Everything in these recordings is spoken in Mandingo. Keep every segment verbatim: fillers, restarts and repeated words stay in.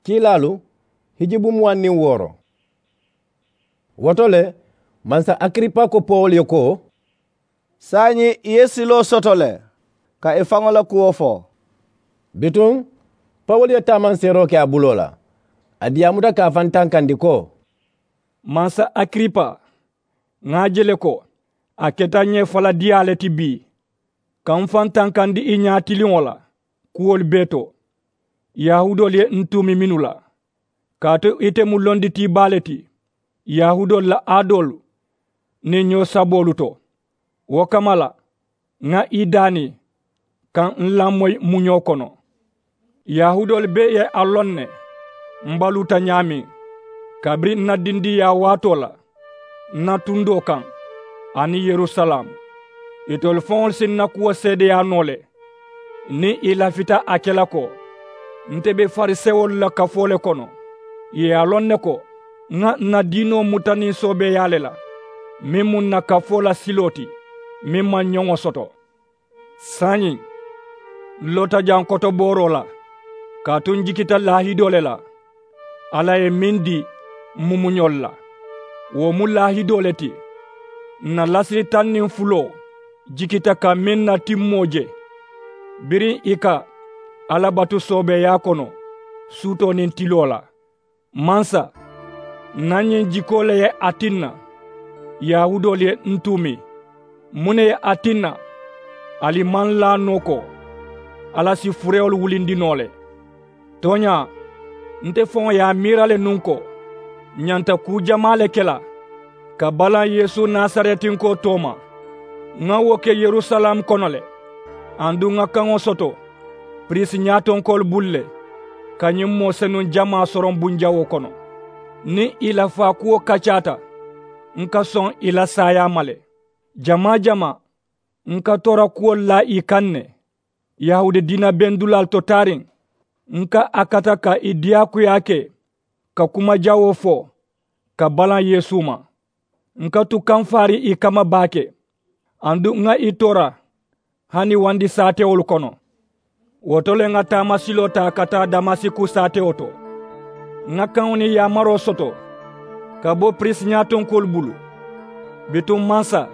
Kiilaalu, hijji buŋ muwaŋ niŋ wooro. Wo to le, mansa akiripa ko pawulu ye ko, saayiŋ i ye siloo soto le ka i faŋo la kuwo fo. Bituŋ pawulu ye taamanseeroo ke a buloo la, a diyaamuta ka a faŋ tankandi ko, mansa akiripa, ŋa a je le ko a keta ǹ ye faladiyaa le ti bii, ka m faŋ tankandi i ñaatiliŋo la kuwolu bee to. Yahuudoolu ye n tuumi mennu la, kaatu ite mu londitii baa le ti yahuudoolu la aadoolu niŋ ñoo saboolu to. Wo kamma la, ŋa i daani ka n lamoyi muñoo kono. Yahuudoolu bee ye a loŋ ne m baluuta ñaameŋ, kabiriŋ n na dindiŋyaa waatoo la n na tundoo kaŋ aniŋ yerusalaamu. Itolu faŋolu si n na kuwo seedeyaa noo le niŋ i lafita a ke la ko, nte be farisewolu la kafoo le kono. Ì ye a loŋ ne ko ŋa ǹ na diinoo muta niŋ soobeeyaa le la, meŋ mu ǹ na kafoo la siloo ti meŋ maŋ ñoŋo soto. Saayiŋ, n loota jaŋ kotobooroo la, kaatu n jikita laahidoo le la alla ye meŋ dii m mumuñolu la. Wo mu laahidoo le ti ǹ na lasiri taŋ niŋ fuloo jikita ka meŋ na timmoo je, biriŋ ì ka alla batu soobeeyaa kono suutoo niŋ tiloo la. Mansa, ǹ na ñiŋ jikoo le ye a tinna yahuudoolu ye n tuumi. Muŋ ne ye a tinna ali maŋ laa noo ko alla si furewolu wulindi noo le? Tooñaa, nte faŋo ye a miira le nuŋ ko ǹ ñanta kuu jamaa le ke la ka balaŋ yeesu nasaretinkoo tooma. Ŋa wo ke yerusalaamu kono le, aduŋ ŋa kaŋo soto piriisi ñaatonkoolu bulu le ka ñiŋ moo senuŋ jamaa soroŋ bunjawoo kono. Niŋ ì la faakuwo kacaata, n ka soŋ ì la saayaa ma le. Jamaa jamaa, n ka toora kuwolu laa ì kaŋ ne. Yahuudi diina bendulaalu to taariŋ, n ka a kata ka ì diyaakuyaa ke ka kuma jawoo fo ka balaŋ yeesu ma. N ka tu kamfaarii ì kamma baake, aduŋ ŋa ì toora hani wandi saatewolu kono. Wo to le ŋa taamasiloo taa ka taa damasiku saatewo to. Ŋa kaŋo niŋ yaamaroo soto ka bo piriisi ñaatonkoolu bulu. Bituŋ mansa,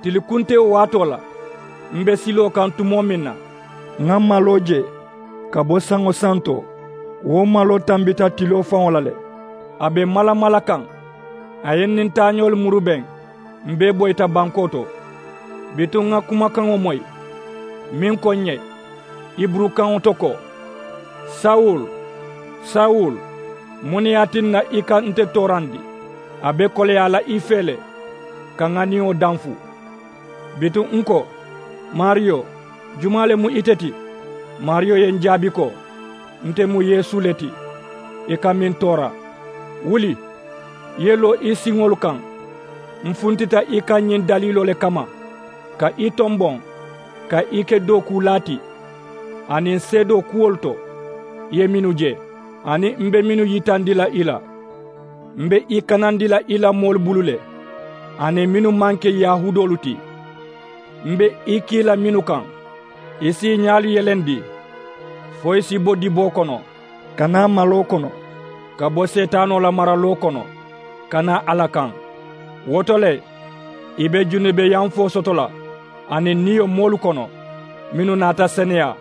tili kuntewo waatoo la, m be siloo kaŋ tumoo meŋ na, ŋa maloo je ka bo saŋo santo. Wo maloo tambita tiloo faŋo la le. A be malamala kaŋ, a ye n niŋ taañoolu murubeŋ. M bee boyita bankoo to. Bituŋ ŋa kumakaŋo moyi meŋ ko ǹ ye, hiburukaŋo to ko, sawulu, sawulu, muŋ ne ye a tinna i ka nte toorandi? A be koleyaa la i fee le ka ŋa niyo danfu. Bituŋ n ko, maariyo, jumaa le mu ite ti? Maariyo ye n jaabi ko, nte mu yeesu le ti, i ka meŋ toora. Wuli, i ye loo i siŋolu kaŋ. M funtita i kaŋ ñiŋ daliiloo le kamma, ka i tomboŋ ka i ke dookuulaa ti aniŋ seedoo kuwolu to, i ye mennu je aniŋ m be mennu yitandi la i la. M be i kanandi la i la moolu bulu le, aniŋ mennu maŋ ke yahuudoolu ti. M be i kii la mennu kaŋ, i si i ñaalu yelendi fo i si bo diboo kono, ka naa maloo kono, ka bo seetaanoo la maraloo kono, ka naa alla kaŋ. Wo to le, i be junubeyanfoo soto la aniŋ niyo moolu kono, mennu naata seneyaa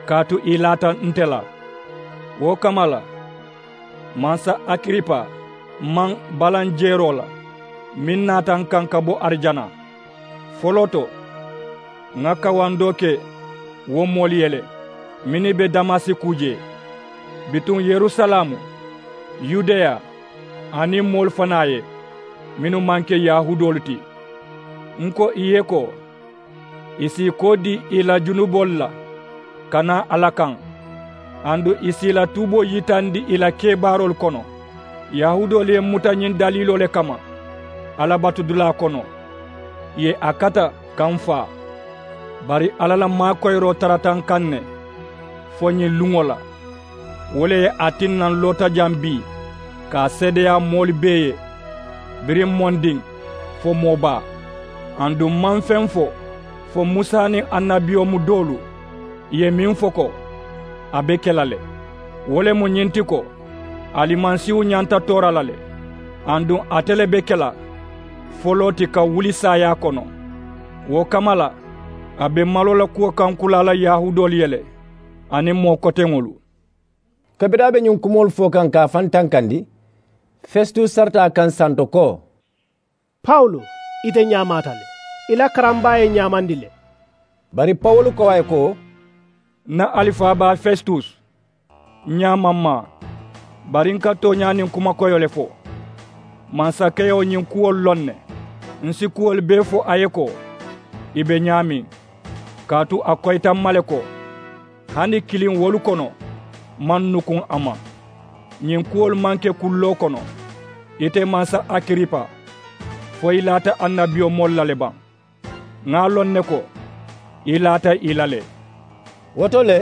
kaatu i laata nte la. Wo kamma la, mansa akiripa, m maŋ balaŋ jeeroo la meŋ naata n kaŋ ka bo arijana. Foloo to, ŋa kawandoo ke wo moolu ye le mennu be damasiku jee, bituŋ yerusalaamu, yudeya, aniŋ moolu fanaa ye mennu maŋ ke yahuudoolu ti. N ko ì ye ko, ì si i koo dii ì la junuboolu la ka naa alla kaŋ, aduŋ ì si ì la tuuboo yitandi ì la kebaaroolu kono. Yahuudoolu ye n muta ñiŋ daliiloo le kamma alla batudulaa kono, ì ye a kata ka n faa. Bari alla la maakoyiroo tarata n kaŋ ne fo ñiŋ luŋo la. Wo le ye a tinna n loota jaŋ bii ka a seedeyaa moolu bee ye, biriŋ mondiŋ fo moobaa. Aduŋ m maŋ feŋ fo fo musa niŋ annabiyomu doolu ye meŋ fo ko a be ke la le. Wo le mu ñiŋ ti ko, Alimasiihu ñanta toora la le, aduŋ ate le be ke la foloo ti ka wuli saayaa kono. Wo kamma la, a be maloo la kuwo kaŋ kulaa la yahuudoolu ye le, aniŋ moo koteŋolu. Kabiriŋ a be ñiŋ kumoolu fo kaŋ ka a faŋ tankandi, festus sarata a kaŋ santo ko, pawulu, ite ñaamaata le, i la karambaa ye ǹ ñaamandi le. Bari pawulu ko a ye ko, ǹ na alifabaa festus, ǹ ñaama m maa. Bari ǹ ka tooñaa niŋ kuma koyoo le fo. Mansakewo ñiŋ kuwolu loŋ ne. Ǹ si kuwolu bee fo a ye ko, i be ñaameŋ, kaatu a koyita m ma le ko, hani kiliŋ wolu kono maŋ nukuŋ a ma. Ñiŋ kuwolu maŋ ke kulloo kono. Ite mansa akiripa, fo i laata annabiyomoolu la le baŋ? Ŋà a loŋ ne ko, i laata ì la le. Wo to le,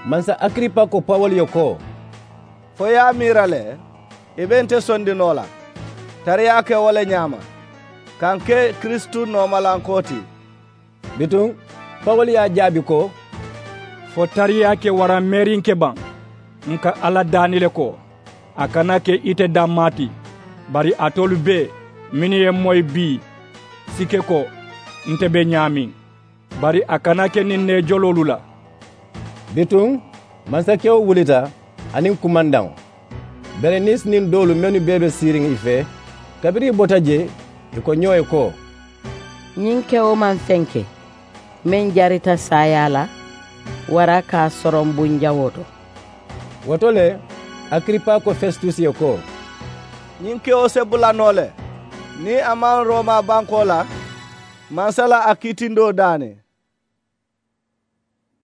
mansa akiripa ko pawulu ye ko, fo i ye a miira le, i be nte sondi noo la, tariyaa ke wo le ñaama, ka ǹ ke kiristu noomalankoo ti. Bituŋ pawulu ye a jaabi ko, fo tariyaa ke waraŋ meerinke baŋ, ǹ ka alla daani le ko, a kana ke ite dammaa ti, bari alitolu bee mennu ye ǹ moyi bii si ke ko, nte be ñaameŋ, bari a kana ke niŋ ǹ neejoloolu la. Bituŋ mansakewo wulita aniŋ kumandaŋo. Berenise niŋ doolu mennu bee be siiriŋ i fee, kabiriŋ i bota jee, i ko ñoo ye ko, ñiŋ kewo maŋ feŋ ke meŋ jarita saayaa la, wara ka a soroŋ bunjawoo to. Wo to le, akiripa ko festus ye ko, ñiŋ kewo se bula noo le, niŋ a maŋ roma bankoo la mansa la a kiitindoo daani.